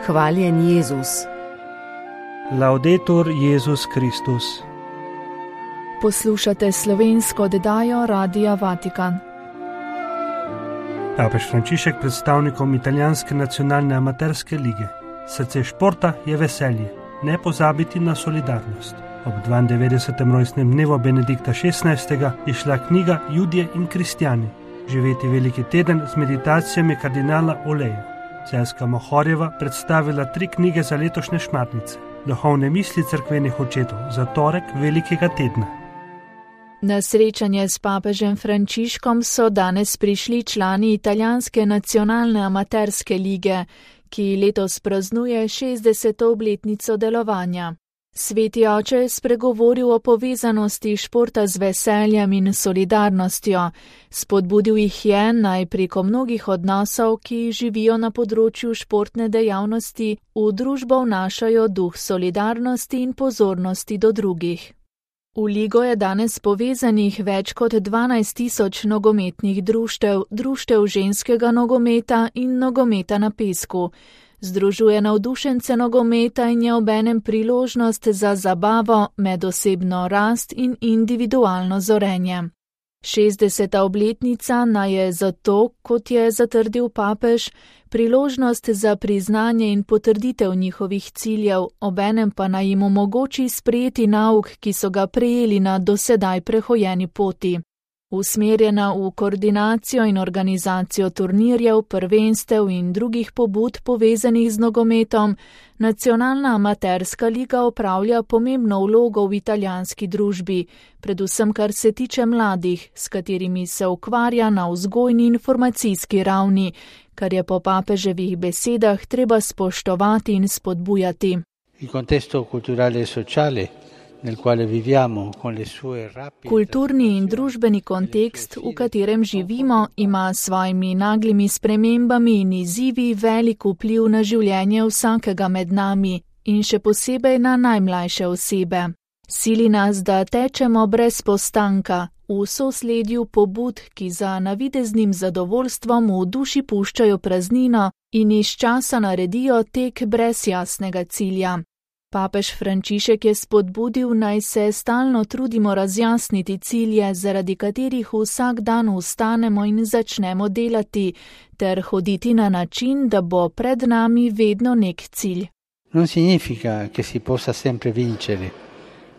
Hvaljen Jezus. Laudetur Jezus Kristus. Poslušate slovensko oddajo Radia Vatikan. Papež Frančišek predstavnikom italijanske nacionalne amaterske lige. Srce športa je veselje, ne pozabiti na solidarnost. Ob 92. rojstnem dnevu Benedikta XVI. Je šla knjiga Judje in kristjani. Živeti veliki teden z meditacijami kardinala Oleja. Celjska Mohorjeva predstavila 3 knjige za letošnje šmarnice. Duhovne misli cerkvenih očetov za torek velikega tedna. Na srečanje s papežem Frančiškom so danes prišli člani italijanske nacionalne amaterske lige, ki letos praznuje 60. obletnico delovanja. Sveti oče je spregovoril o povezanosti športa z veseljem in solidarnostjo. Spodbudil jih je naj preko mnogih odnosov, ki živijo na področju športne dejavnosti, v družbo vnašajo duh solidarnosti in pozornosti do drugih. V ligo je danes povezanih več kot 12.000 nogometnih društev ženskega nogometa in nogometa na pesku. Združuje navdušence nogometa in je obenem priložnost za zabavo, medosebno rast in individualno zorenje. 60. obletnica naj je zato, kot je zatrdil papež, priložnost za priznanje in potrditev njihovih ciljev, obenem pa naj jim omogoči sprejeti nauk, ki so ga prejeli na dosedaj prehojeni poti. Usmerjena v koordinacijo in organizacijo turnirjev, prvenstev in drugih pobud povezanih z nogometom, nacionalna amaterska liga opravlja pomembno vlogo v italijanski družbi, predvsem kar se tiče mladih, s katerimi se ukvarja na vzgojni informacijski ravni, kar je po papeževih besedah treba spoštovati in spodbujati. Il contesto culturale e sociale nel quale viviamo con le sue rapide. Kulturni in družbeni kontekst, v katerem živimo, ima s svojimi naglimi spremembami in izzivi velik vpliv na življenje vsakega med nami in še posebej na najmlajše osebe. Sili nas, da tečemo brez postanka, v sosledju pobud, ki za navideznim zadovoljstvom v duši puščajo praznino in iz časa naredijo tek brez jasnega cilja. Papež Frančišek je spodbudil, naj se stalno trudimo razjasniti cilje, zaradi katerih vsak dan vstanemo in začnemo delati, ter hoditi na način, da bo pred nami vedno nek cilj. Non significa che si possa sempre vincere.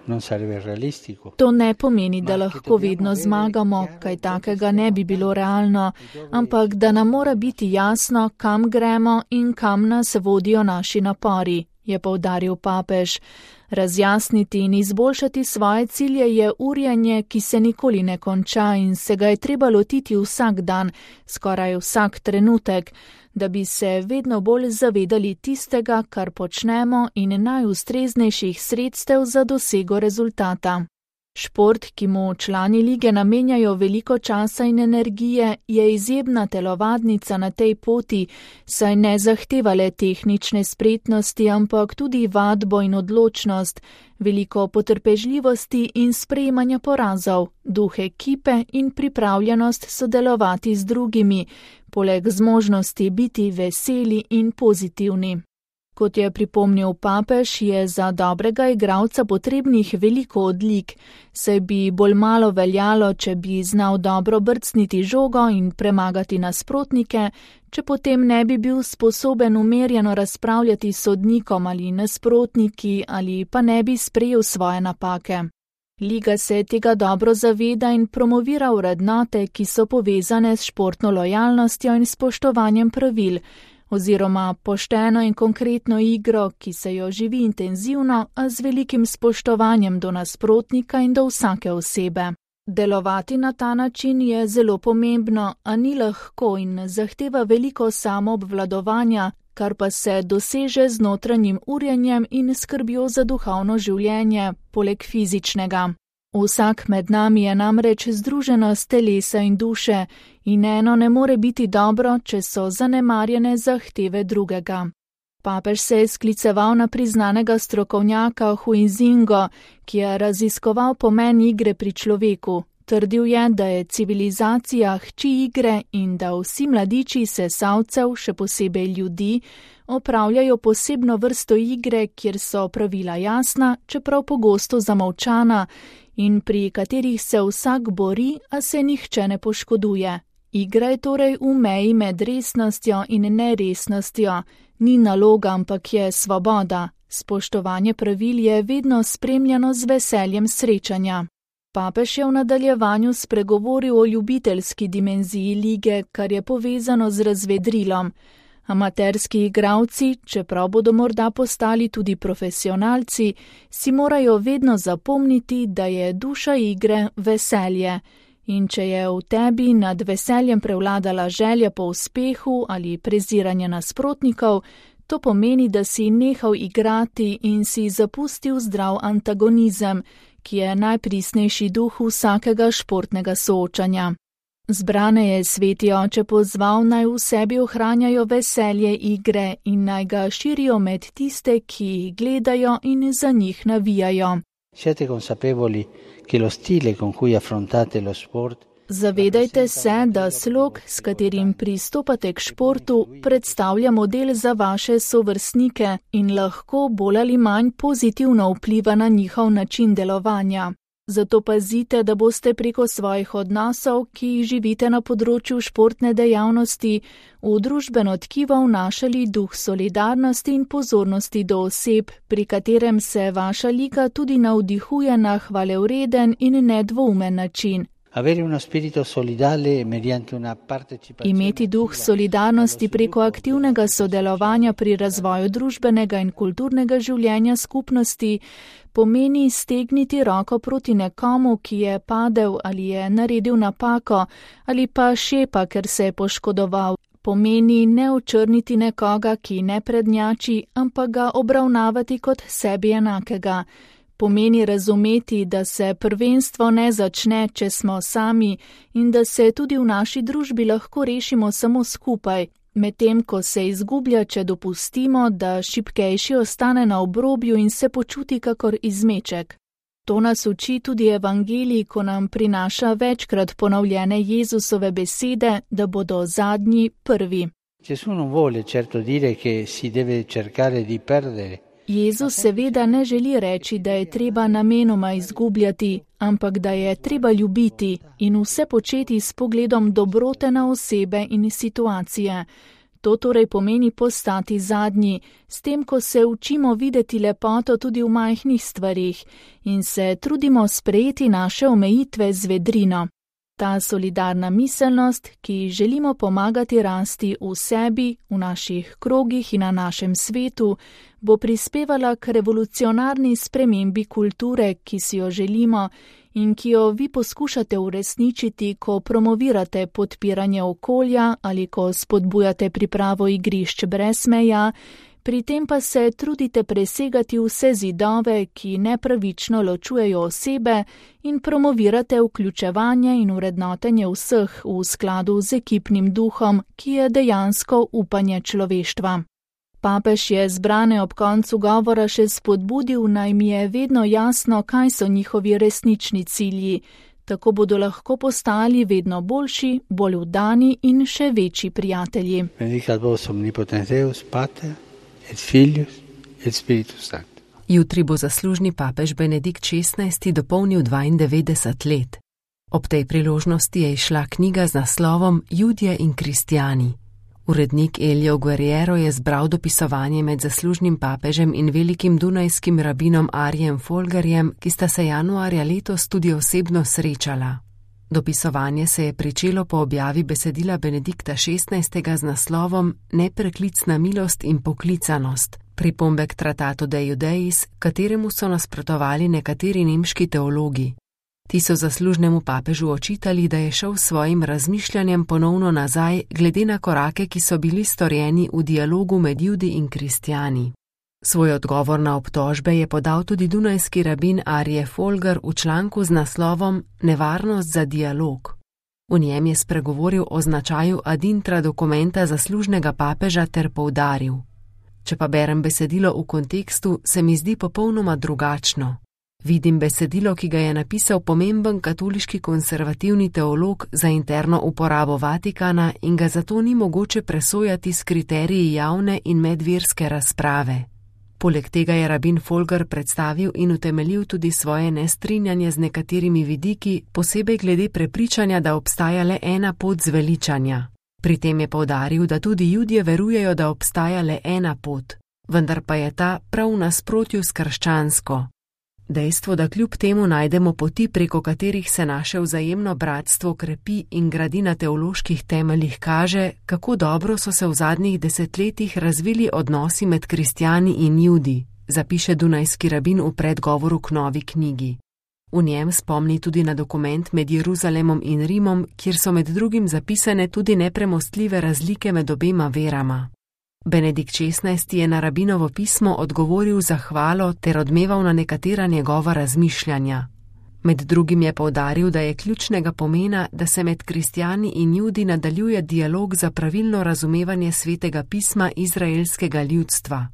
Non sarebbe realistico. To ne pomeni, da lahko vedno zmagamo, kaj takega ne bi bilo realno, ampak da nam mora biti jasno, kam gremo in kam nas vodijo naši napori, je poudaril papež. Razjasniti in izboljšati svoje cilje je urjenje, ki se nikoli ne konča in se ga je treba lotiti vsak dan, skoraj vsak trenutek, da bi se vedno bolj zavedali tistega, kar počnemo in najustreznejših sredstev za dosego rezultata. Šport, ki mu člani lige namenjajo veliko časa in energije, je izjemna telovadnica na tej poti, saj ne zahteva le tehnične spretnosti, ampak tudi vadbo in odločnost, veliko potrpežljivosti in sprejemanja porazov, duh ekipe in pripravljenost sodelovati z drugimi, poleg zmožnosti biti veseli in pozitivni. Kot je pripomnil papež, je za dobrega igralca potrebnih veliko odlik, saj bi bolj malo veljalo, če bi znal dobro brcniti žogo in premagati nasprotnike, če potem ne bi bil sposoben umerjeno razpravljati s sodnikom ali nasprotniki ali pa ne bi sprejel svoje napake. Liga se tega dobro zaveda in promovira vrednote, ki so povezane s športno lojalnostjo in spoštovanjem pravil, oziroma pošteno in konkretno igro, ki se jo živi intenzivno, a z velikim spoštovanjem do nasprotnika in do vsake osebe. Delovati na ta način je zelo pomembno, a ni lahko in zahteva veliko samoobvladovanja, kar pa se doseže z notranjim urjenjem in skrbjo za duhovno življenje, poleg fizičnega. Vsak med nami je namreč združenost telesa in duše in eno ne more biti dobro, če so zanemarjene zahteve drugega. Papež se je skliceval na priznanega strokovnjaka Huizingo, ki je raziskoval pomen igre pri človeku. Trdil je, da je civilizacija hči igre in da vsi mladiči sesalcev, še posebej ljudi, opravljajo posebno vrsto igre, kjer so pravila jasna, čeprav pogosto zamolčana, in pri katerih se vsak bori, a se nihče ne poškoduje. Igra je torej v meji med resnostjo in neresnostjo, ni naloga, ampak je svoboda. Spoštovanje pravil je vedno spremljano z veseljem srečanja. Papež je v nadaljevanju spregovoril o ljubiteljski dimenziji lige, kar je povezano z razvedrilom. Amaterski igralci, čeprav bodo morda postali tudi profesionalci, si morajo vedno zapomniti, da je duša igre veselje. In če je v tebi nad veseljem prevladala želja po uspehu ali preziranje nasprotnikov, to pomeni, da si nehal igrati in si zapustil zdrav antagonizem, ki je najpristnejši duh vsakega športnega soočanja. Zbrane je sveti oče pozval, naj v sebi ohranjajo veselje igre in naj ga širijo med tiste, ki jih gledajo in za njih navijajo. Siete consapevoli che lo stile con cui affrontate lo sport. Zavedajte se, da slog, s katerim pristopate k športu, predstavlja model za vaše sovrstnike in lahko bolj ali manj pozitivno vpliva na njihov način delovanja. Zato pazite, da boste preko svojih odnosov, ki jih živite na področju športne dejavnosti, v družbeno tkivo vnašali duh solidarnosti in pozornosti do oseb, pri katerem se vaša liga tudi navdihuje na hvalevreden in nedvoumen način. Imeti duh solidarnosti preko aktivnega sodelovanja pri razvoju družbenega in kulturnega življenja skupnosti pomeni stegniti roko proti nekomu, ki je padel ali je naredil napako ali pa šepa, ker se je poškodoval. Pomeni ne očrniti nekoga, ki ne prednjači, ampak ga obravnavati kot sebi enakega. Pomeni razumeti, da se prvenstvo ne začne, če smo sami in da se tudi v naši družbi lahko rešimo samo skupaj, medtem ko se izgublja, če dopustimo, da šibkejši ostane na obrobju in se počuti kakor izmeček. To nas uči tudi evangelij, ko nam prinaša večkrat ponovljene Jezusove besede, da bodo zadnji prvi. Gesù non vuole certo dire che si deve cercare di perdere. Jezus seveda ne želi reči, da je treba namenoma izgubljati, ampak da je treba ljubiti in vse početi s pogledom dobrote na osebe in situacije. To torej pomeni postati zadnji, s tem, ko se učimo videti lepoto tudi v majhnih stvarih in se trudimo sprejeti naše omejitve z vedrino. Ta solidarna miselnost, ki želimo pomagati rasti v sebi, v naših krogih in na našem svetu, bo prispevala k revolucionarni spremembi kulture, ki si jo želimo in ki jo vi poskušate uresničiti, ko promovirate podpiranje okolja ali ko spodbujate pripravo igrišč brez meja, pri tem pa se trudite presegati vse zidove, ki nepravično ločujejo osebe in promovirate vključevanje in vrednotenje vseh v skladu z ekipnim duhom, ki je dejansko upanje človeštva. Papež je zbrane ob koncu govora še spodbudil, naj mi je vedno jasno, kaj so njihovi resnični cilji. Tako bodo lahko postali vedno boljši, bolj vdani in še večji prijatelji. Benedicat vos omnipotens Deus, Pater et Filius et Spiritus Sanctus. Jutri bo zaslužni papež Benedikt XVI dopolnil 92 let. Ob tej priložnosti je izšla knjiga z naslovom Judje in kristjani. Urednik Elio Guerriero je zbral dopisovanje med zaslužnim papežem in velikim dunajskim rabinom Arijem Folgerjem, ki sta se januarja letos tudi osebno srečala. Dopisovanje se je pričelo po objavi besedila Benedikta XVI z naslovom Nepreklicna milost in poklicanost, pripombe k tratatu De Judeis, kateremu so nasprotovali nekateri nemški teologi. Ti so zaslužnemu papežu očitali, da je šel s svojim razmišljanjem ponovno nazaj glede na korake, ki so bili storjeni v dialogu med Judi in kristjani. Svoj odgovor na obtožbe je podal tudi dunajski rabin Arije Folger v članku z naslovom Nevarnost za dialog. V njem je spregovoril o značaju ad intra dokumenta zaslužnega papeža ter poudaril: Če pa berem besedilo v kontekstu, se mi zdi popolnoma drugačno. Vidim besedilo, ki ga je napisal pomemben katoliški konservativni teolog za interno uporabo Vatikana in ga zato ni mogoče presojati s kriteriji javne in medverske razprave. Poleg tega je rabin Folger predstavil in utemeljil tudi svoje nestrinjanje z nekaterimi vidiki, posebej glede prepričanja, da obstaja le ena pot zveličanja. Pri tem je poudaril, da tudi Judje verujejo, da obstaja le ena pot, vendar pa je ta prav v nasprotju s krščansko. Dejstvo, da kljub temu najdemo poti, preko katerih se naše vzajemno bratstvo krepi in gradi na teoloških temeljih, kaže, kako dobro so se v zadnjih desetletjih razvili odnosi med kristjani in Judi, zapiše dunajski rabin v predgovoru k novi knjigi. V njem spomni tudi na dokument med Jeruzalemom in Rimom, kjer so med drugim zapisane tudi nepremostljive razlike med obema verama. Benedikt XVI je na rabinovo pismo odgovoril zahvalo ter odmeval na nekatera njegova razmišljanja. Med drugim je poudaril, da je ključnega pomena, da se med kristjani in Judi nadaljuje dialog za pravilno razumevanje svetega pisma izraelskega ljudstva.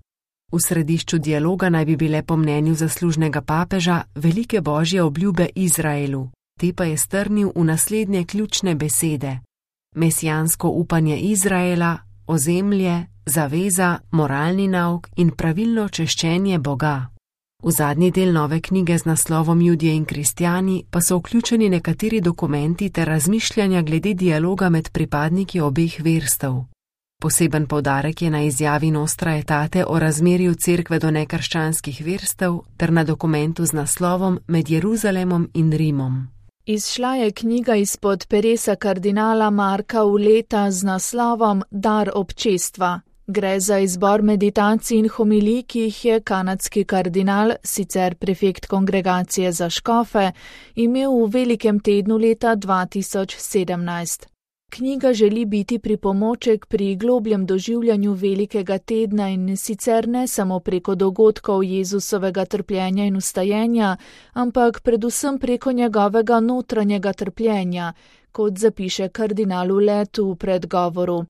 V središču dialoga naj bi bile po mnenju zaslužnega papeža velike božje obljube Izraelu, te pa je strnil v naslednje ključne besede: mesijansko upanje Izraela, ozemlje, zaveza, moralni nauk in pravilno češčenje Boga. V zadnji del nove knjige z naslovom Judje in kristjani pa so vključeni nekateri dokumenti ter razmišljanja glede dialoga med pripadniki obeh verstev. Poseben poudarek je na izjavi Nostra Aetate o razmerju cerkve do nekrščanskih verstev ter na dokumentu z naslovom Med Jeruzalemom in Rimom. Izšla je knjiga izpod peresa kardinala Marka Uleta z naslovom Dar občestva. Gre za izbor meditacij in homilij, ki jih je kanadski kardinal, sicer prefekt kongregacije za škofe, imel v velikem tednu leta 2017. Knjiga želi biti pripomoček pri globljem doživljanju velikega tedna in sicer ne samo preko dogodkov Jezusovega trpljenja in vstajenja, ampak predvsem preko njegovega notranjega trpljenja, kot zapiše kardinal Ulet v predgovoru.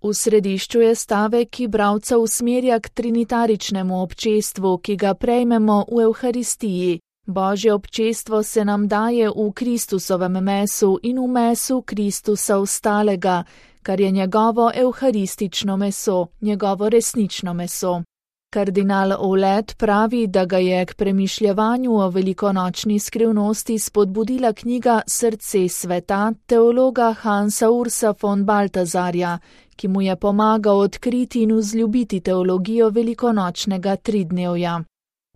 V središču je stavek, ki bralca usmerja k trinitaričnemu občestvu, ki ga prejmemo v Evharistiji. Božje občestvo se nam daje v Kristusovem mesu in v mesu Kristusa ostalega, kar je njegovo evharistično meso, njegovo resnično meso. Kardinal Oulet pravi, da ga je k premišljevanju o velikonočni skrivnosti spodbudila knjiga Srce sveta teologa Hansa Ursa von Baltazarja, ki mu je pomagal odkriti in vzljubiti teologijo velikonočnega tridnevja.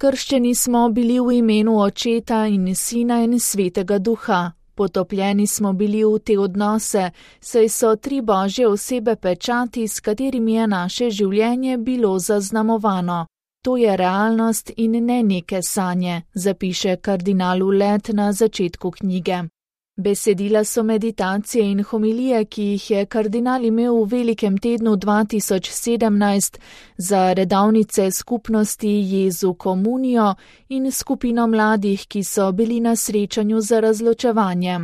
Krščeni smo bili v imenu Očeta in Sina in Svetega Duha. Potopljeni smo bili v te odnose, saj so tri Božje osebe pečati, s katerimi je naše življenje bilo zaznamovano. To je realnost in ne neke sanje, zapiše kardinal Ulet na začetku knjige. Besedila so meditacije in homilije, ki jih je kardinal imel v velikem tednu 2017 za redovnice skupnosti Jezu Komunijo in skupino mladih, ki so bili na srečanju za razločevanje.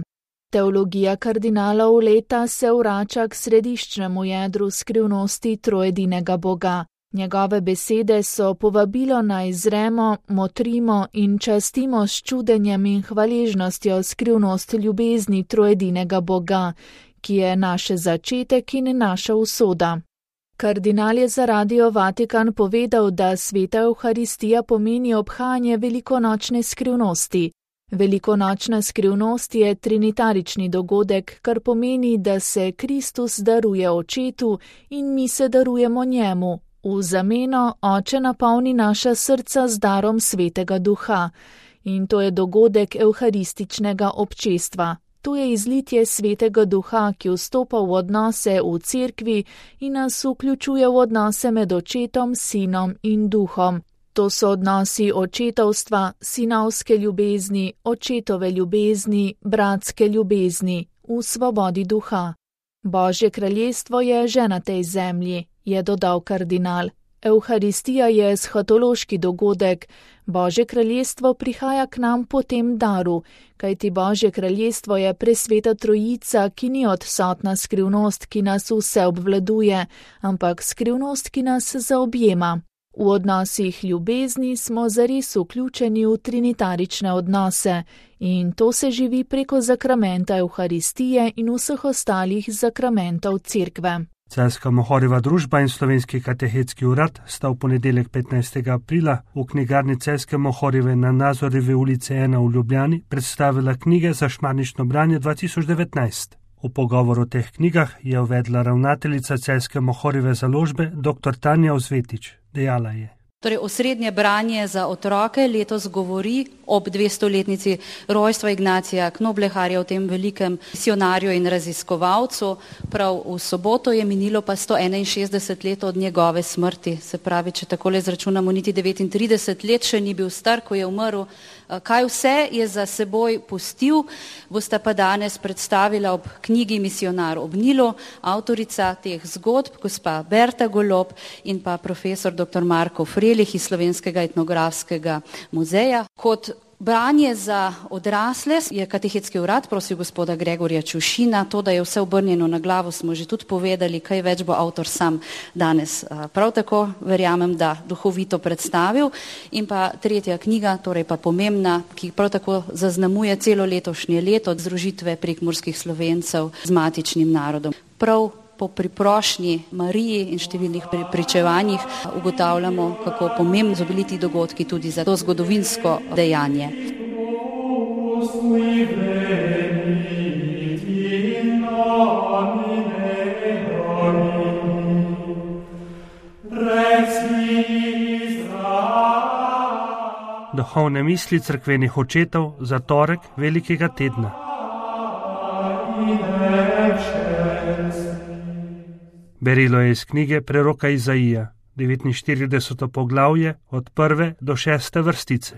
Teologija kardinala Uleta se vrača k središčnemu jedru skrivnosti trojedinega Boga. Njegove besede so povabilo naj zremo, motrimo in častimo s čudenjem in hvaležnostjo skrivnost ljubezni trojedinega Boga, ki je naš začetek in naša usoda. Kardinal je za Radio Vatikan povedal, da sveta Evharistija pomeni obhajanje velikonočne skrivnosti. Velikonočna skrivnost je trinitarični dogodek, kar pomeni, da se Kristus daruje Očetu in mi se darujemo njemu. V zameno Oče napolni naša srca z darom Svetega Duha. In to je dogodek evharističnega občestva. To je izlitje Svetega Duha, ki vstopa v odnose v cerkvi in nas vključuje v odnose med Očetom, Sinom in Duhom. To so odnosi očetovstva, sinovske ljubezni, očetove ljubezni, bratske ljubezni, v svobodi duha. Božje kraljestvo je že na tej zemlji, je dodal kardinal. Evharistija je eschatološki dogodek. Božje kraljestvo prihaja k nam po tem daru, kajti Božje kraljestvo je presveta trojica, ki ni odsotna skrivnost, ki nas vse obvladuje, ampak skrivnost, ki nas zaobjema. V odnosih ljubezni smo zares vključeni v trinitarične odnose in to se živi preko zakramenta Evharistije in vseh ostalih zakramentov Cerkve. Celjska Mohorjeva družba in Slovenski katehetski urad sta v ponedeljek 15. aprila v knjigarni Celjske Mohorjeve na Nazorjevi ulici 1 v Ljubljani predstavila knjige za šmarnično branje 2019. V pogovoru o teh knjigah je uvedla ravnateljica Celjske Mohorjeve založbe dr. Tanja Ozvetič. Dejala je: Torej, osrednje branje za otroke letos govori ob 200-letnici rojstva Ignacija Knobleharja, o tem velikem misionarju in raziskovalcu. Prav v soboto je minilo pa 161 let od njegove smrti. Se pravi, če takole izračunamo, niti 39 let še ni bil star, ko je umrl. Kaj vse je za seboj pustil, bosta pa danes predstavila ob knjigi Misionar ob Nilu, avtorica teh zgodb, gospa Berta Golob in pa profesor dr. Marko Frelih iz Slovenskega etnografskega muzeja. Kot branje za odrasle je katehetski urad prosil gospoda Gregorja Čušina. To, da je vse obrnjeno na glavo, smo že tudi povedali, kaj več bo avtor sam danes prav tako, verjamem, da duhovito predstavil. In pa tretja knjiga, torej pa pomembna, ki prav tako zaznamuje celo letošnje leto, združitve prekmurskih Slovencev z matičnim narodom. Prav po priprošnji Mariji in številnih pričevanjih ugotavljamo, kako pomembni so bili ti dogodki tudi za to zgodovinsko dejanje. Duhovne misli cerkvenih očetov za torek velikega tedna. Berilo je iz knjige preroka Izaija, 49. poglavje od 1. do 6. vrstice.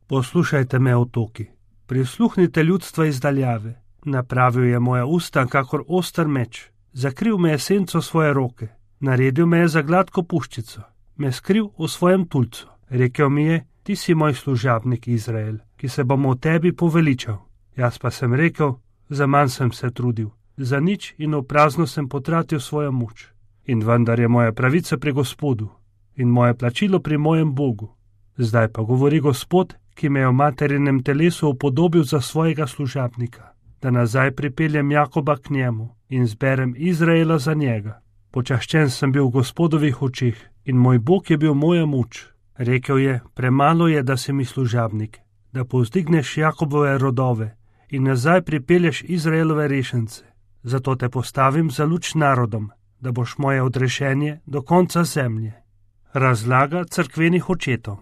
Poslušajte me, otoki, prisluhnite ljudstva iz daljave. Napravil je moja usta kakor oster meč, zakril me je senco svoje roke, naredil me je za gladko puščico, me skril v svojem tulcu. Rekel mi je: ti si moj služabnik Izrael, ki se bom o tebi poveličal. Jaz pa sem rekel: za manj sem se trudil, za nič in v prazno sem potratil svojo moč. In vendar je moja pravica pri Gospodu in moje plačilo pri mojem Bogu. Zdaj pa govori Gospod, ki me je v materinem telesu upodobil za svojega služabnika, da nazaj pripeljem Jakoba k njemu in zberem Izraela za njega. Počaščen sem bil v Gospodovih očeh in moj Bog je bil moja moč. Rekel je: premalo je, da si mi služabnik, da povzdigneš Jakobove rodove in nazaj pripelješ Izraelove rešence. Zato te postavim za luč narodom, da boš moje odrešenje do konca zemlje. Razlaga cerkvenih očetov.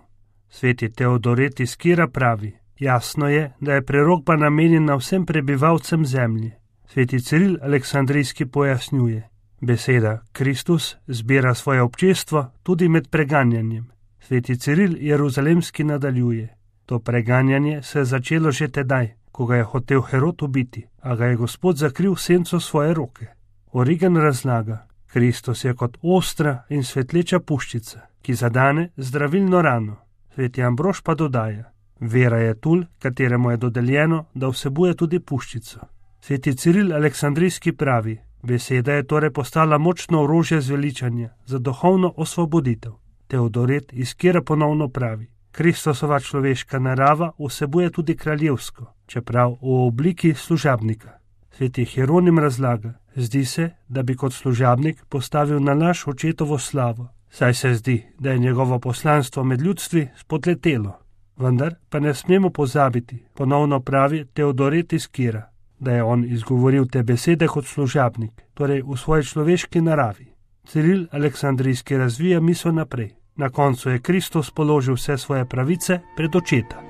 Sveti Teodoret iz Kira pravi: jasno je, da je prerokba namenjena vsem prebivalcem zemlje. Sveti Ciril Aleksandrijski pojasnjuje: beseda Kristus zbira svoje občestvo tudi med preganjanjem. Sveti Ciril Jeruzalemski nadaljuje: to preganjanje se je začelo že tedaj, ko ga je hotel Herod ubiti, a ga je Gospod zakril senco svoje roke. Origen razlaga: Kristus je kot ostra in svetleča puščica, ki zadane zdravilno rano. Sveti Ambrož pa dodaja: vera je tul, kateremu je dodeljeno, da vsebuje tudi puščico. Sveti Ciril Aleksandrijski pravi: beseda je torej postala močno orožje zveličanja za duhovno osvoboditev. Teodoret iz Kira ponovno pravi: Kristusova človeška narava vsebuje tudi kraljevsko, čeprav v obliki služabnika. Sveti Hieronim razlaga: zdi se, da bi kot služabnik postavil na laž očetovo slavo, saj se zdi, da je njegovo poslanstvo med ljudstvi spodletelo. Vendar pa ne smemo pozabiti, ponovno pravi Teodoret iz Kira, da je on izgovoril te besede kot služabnik, torej v svoji človeški naravi. Ciril Aleksandrijski razvija misel naprej. Na koncu je Kristus položil vse svoje pravice pred očeta.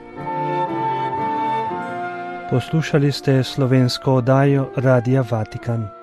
Poslušali ste slovensko oddajo Radia Vatikan.